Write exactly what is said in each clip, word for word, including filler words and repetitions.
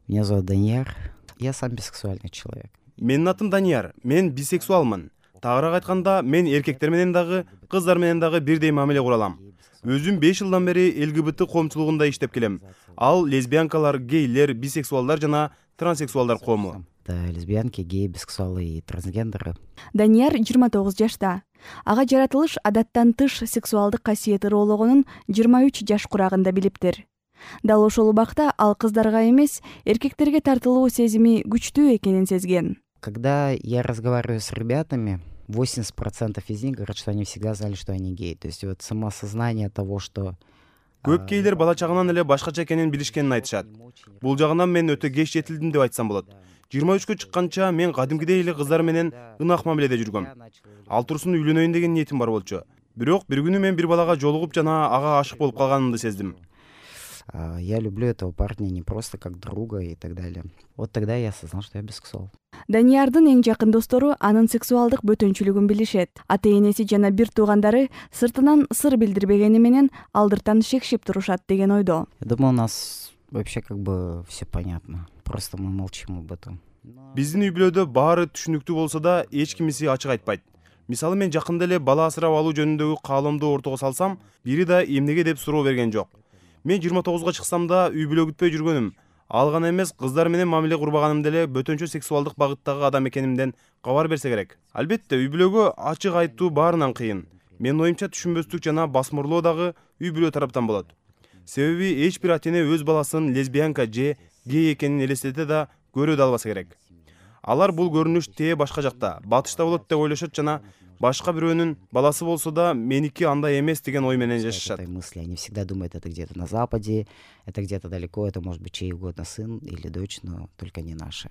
Меня зовут Данияр. Я сам бисексуальный человек. Менин атым Данияр. Мен бисексуалмын. Тагыраак айтканда, мен эркектер менен дагы, кыздар менен дагы бирдей мамиле кура алам. Өзүм беш жылдан бери ЛГБТ коомчулугунда иштеп келем. Ал лесбиянкалар, гейлер, бисексуалдар жана транссексуалдар коому. Это лесбиянки, геи, бисексуалы и трансгендеры. Данияр жыйырма тогуз жашта. Ага жаратылыш адаттан тыш сексуалдык касиети ыроологонун жыйырма үч жаш курагында билиптир. Дал ошол убакта ал кыздарга эмес, эркектерге тартылуу сезими күчтүү экенин сезген. Когда я разговариваю с ребятами, восемьдесят процентов из них говорят, что они всегда знали, что они геи. То есть вот самоосознание того, что... Көп гейлер бала чагынан эле башкача экенин билишкенин айтышат. Бул жагынан мен өтө кеч жетилдим деп айтсам болот. жыйырма үчкө чыкканча мен кадимкидей эле кыздар менен ынак мамиледе жүргөм. Ал турсун үйлөнөйүн деген ниетим бар болчу. Бирок бир күнү мен бир балага жолугуп жана ага ашык болуп калганымды сездим. Я люблю этого парня не просто как друга и так далее. Вот тогда я осознал, что я бисексуал. Даниярдын эң жакын достору анын сексуалдык бөтөнчүлүгүн билишет. Ата-энеси жана бир туугандары сыртынан сыр билдирбегени менен алдыртан шекшип турушат деген ойдо. Я думаю, у нас вообще как бы все понятно. Просто мы молчим об этом. Биздин үй бүлөдө баары түшүнүктүү болсо да, эч кимиси ачык айтпайт. Мисалы мен жакында эле бала асырап алуу жөнүндөгү каалоомду ортого салсам, бири да эмнеге деп суроо берген жок. Мен жыйырма тогузга чыксам да үй бүлө күтпөй жүргөнүм. Ал гана эмес, кыздар менен мамиле курбаганымда эле бөтөнчө сексуалдык багыттагы адам экенимден кабар берсе керек. Албетте, үй бүлөгө ачык айтуу баарынан кыйын. Менин оюмча түшүнбөстүк жана басмырлоо дагы үй бүлө тараптан болот. Себеби эч бир ата-эне өз баласын лесбиянка же гей экенин элестете да көрө да албаса керек. Алар бул көрүнүш тээ башка жакта, батышта болот деп ойлошот жана башка бирөөнүн баласы болсо да меники андай эмес деген ой менен жашашат. Мысли, они всегда думают, это где-то на Западе, это где-то далеко, это может быть чей угодно сын или дочь, но только не наши.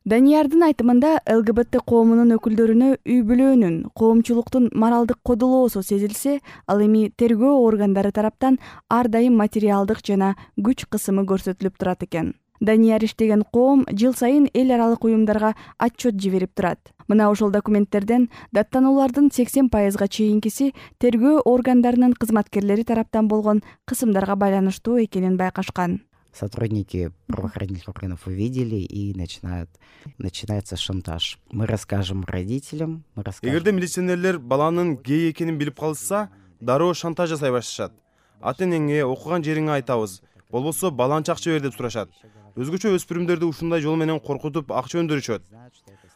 Даниярдын айтымында ЛГБТ коомунун өкүлдөрүнө үй бүлөөнүн, коомчулуктун моралдык кодолоосу сезилсе, ал эми тергөө органдары тараптан ар дайым материалдык жана күч кысымы көрсөтүлүп турат экен. Данияр иштеген коом жыл сайын эл аралык уюмдарга отчет жиберип турат. Мына ошол документтерден даттануулардын сексен пайызга чейинкиси тергөө органдарынын кызматкерлери тараптан болгон кысымдарга байланыштуу экенин байкашкан. Сотрудники правоохранительных органов увидели и начинают, начинается шантаж. Мы расскажем родителям, мы расскажем... Эгерде милиционерлер баланын гей экенин билип калышса, дароо шантаж жасай башташат. Ата-энеңе, окуган жериңе айтабыз, болбосо баланчы акча бер деп сурашат. Өзгөчө өспүрүмдөрдү ушундай жол менен коркутуп акча өндүрүшөт.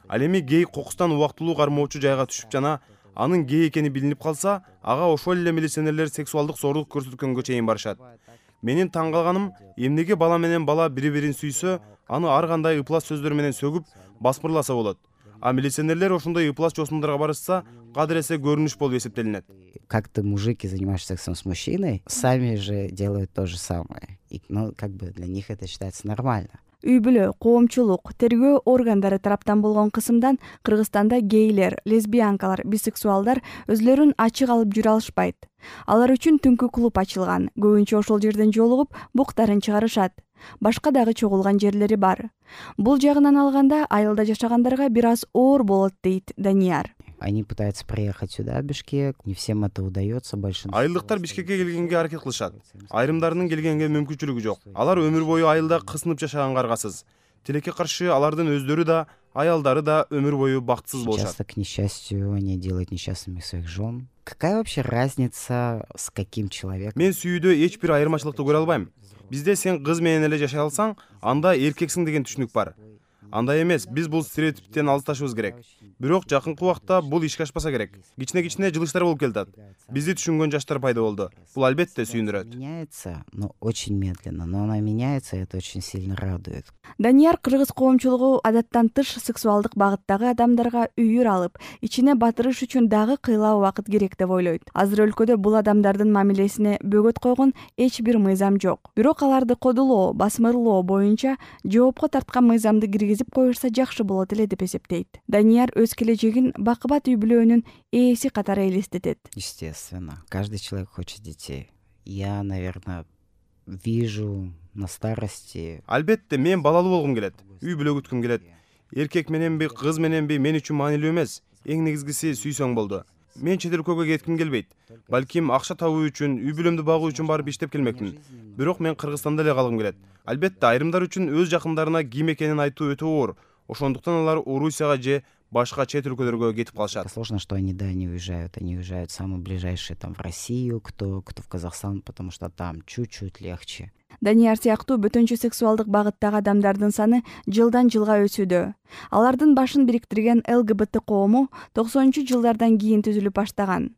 Ал эми гей кокустан убактылуу кармоочу жайга түшүп жана анын гей экени билинип калса, ага ошол эле милиционерлер сексуалдык зорлук көрсөткөнгө чейин барышат. Менин таң калганым, эмнеге бала менен бала бири-бирин сүйсө, аны ар кандай ыплас сөздөр менен сөгүп, басмырласа болот. А милиционерлер ошондой ыплас чосумдарга барышса, кадыр эсе көрүнүш болуп эсептелинет. Как ты, мужики, занимаешься сексом с мужчиной, сами же делают то же самое. И, ну, как бы для них это считается нормально. Үй бүлө, коомчулук, тергөө органдары тараптан болгон кысымдан Кыргызстанда гейлер, лесбиянкалар, бисексуалдар өзлөрүн ачык алып жүрө алышпайт. Алар үчүн түнкү клуб ачылган. Көбүнчө ошол жерден жолугуп, буктарын чыгарышат. Башка дагы чогулган жерлери бар. Бул жагынан алганда айылда жашагандарга бир аз оор болот дейт Данияр. Они пытаются приехать сюда, в Бишкек, не всем это удается, большинство. Айылдыктар Бишкекке келгенге аракет кылышат. Айрымдарынын келгенге мүмкүнчүлүгү жок. Алар өмүр бою айылда кысынып жашаганга аргасыз. Тилекке каршы алардын өздөрү да, аялдары да өмүр бою бактысыз болушат. Часто, к несчастью, они делают несчастными своих жен. Какая вообще разница с каким человеком? Мен сүйүүдө эч бир айырмачылыкты көрө албайм. Бизде сен кыз менен эле жашай алсаң, анда эркексиң деген түшүнүк бар. Андай эмес, биз бул стереотиптен алысташыбыз керек. Бирок жакынкы убакта бул ишке ашпаса керек. Кичине-кичине жылыштар болуп келатат. Бизди түшүнгөн жаштар пайда болду. Бул албетте сүйүндүрөт. Меняется, но очень медленно, но она меняется, и это очень сильно радует. Данияр кыргыз коомчулугу адаттан тыш сексуалдык багыттагы адамдарга үйүр алып, ичине батырыш үчүн дагы кыйла убакыт керек деп ойлойт. Азыр өлкөдө бул адамдардын мамилесине бөгөт койгон эч бир мыйзам жок. Бирок аларды кодулоо, басмырлоо боюнча жоопко тарткан мыйзамды киргизип коюшса жакшы болот эле деп эсептейт. Данияр өз келечегин бакыбат үй бүлөөнүн ээси катары элестетет. Естественно, каждый человек хочет детей. Я, наверное, вижу на старости. Албетте, мен балалуу болгум келет. Үй бүлө күткүм келет. Эркек мененби, кыз мененби мен үчүн маанилүү эмес. Эң негизгиси сүйсөң болду. Мен чет өлкөгө кетким келбейт. Балким акча табуу үчүн, үй бүлөмдү багуу үчүн барып иштеп келмекмин. Бирок мен Кыргызстанда эле калгым келет. Албетте айрымдар үчүн өз жакындарына ким экенин айтуу өтө оор. Ошондуктан алар Орусияга же башка чет өлкөлөргө кетип калышат. Сложно, что они, да, не уезжают. Они уезжают самые ближайшие там в Россию, кто, кто в Казахстан, потому что там чуть-чуть легче. Данияр сыяктуу бөтөнчү сексуалдык багыттагы адамдардын саны жылдан жылга өсүүдө. Алардын башын бириктирген ЛГБТ коому токсонунчу жылдардан кийин түзүлүп баштаган.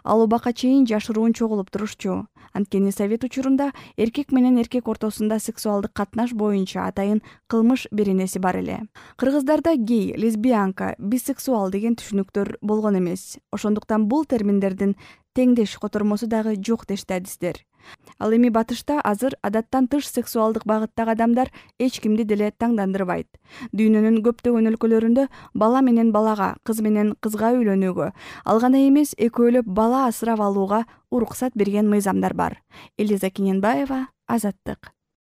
Ал убакка чейин жашыруун чогулуп турушчу. Анткени совет учурунда эркек менен эркек ортосунда сексуалдык катнаш боюнча атайын кылмыш беренеси бар эле. Кыргыздарда гей, лесбиянка, бисексуал деген түшүнүктөр болгон эмес. Ошондуктан бул терминдердин теңдеш котормосу дагы жок дешти адистер. Ал эми батышта азыр адаттан тыш сексуалдык багыттагы адамдар эч кимди деле таңдандырбайт. Дүйнөнүн көптөгөн өлкөлөрүндө бала менен балага, кыз менен кызга үйлөнүүгө, ал гана эмес экөөлөп бала асырап алууга уруксат берген мыйзамдар бар. Элиза Кененбаева, Азаттык.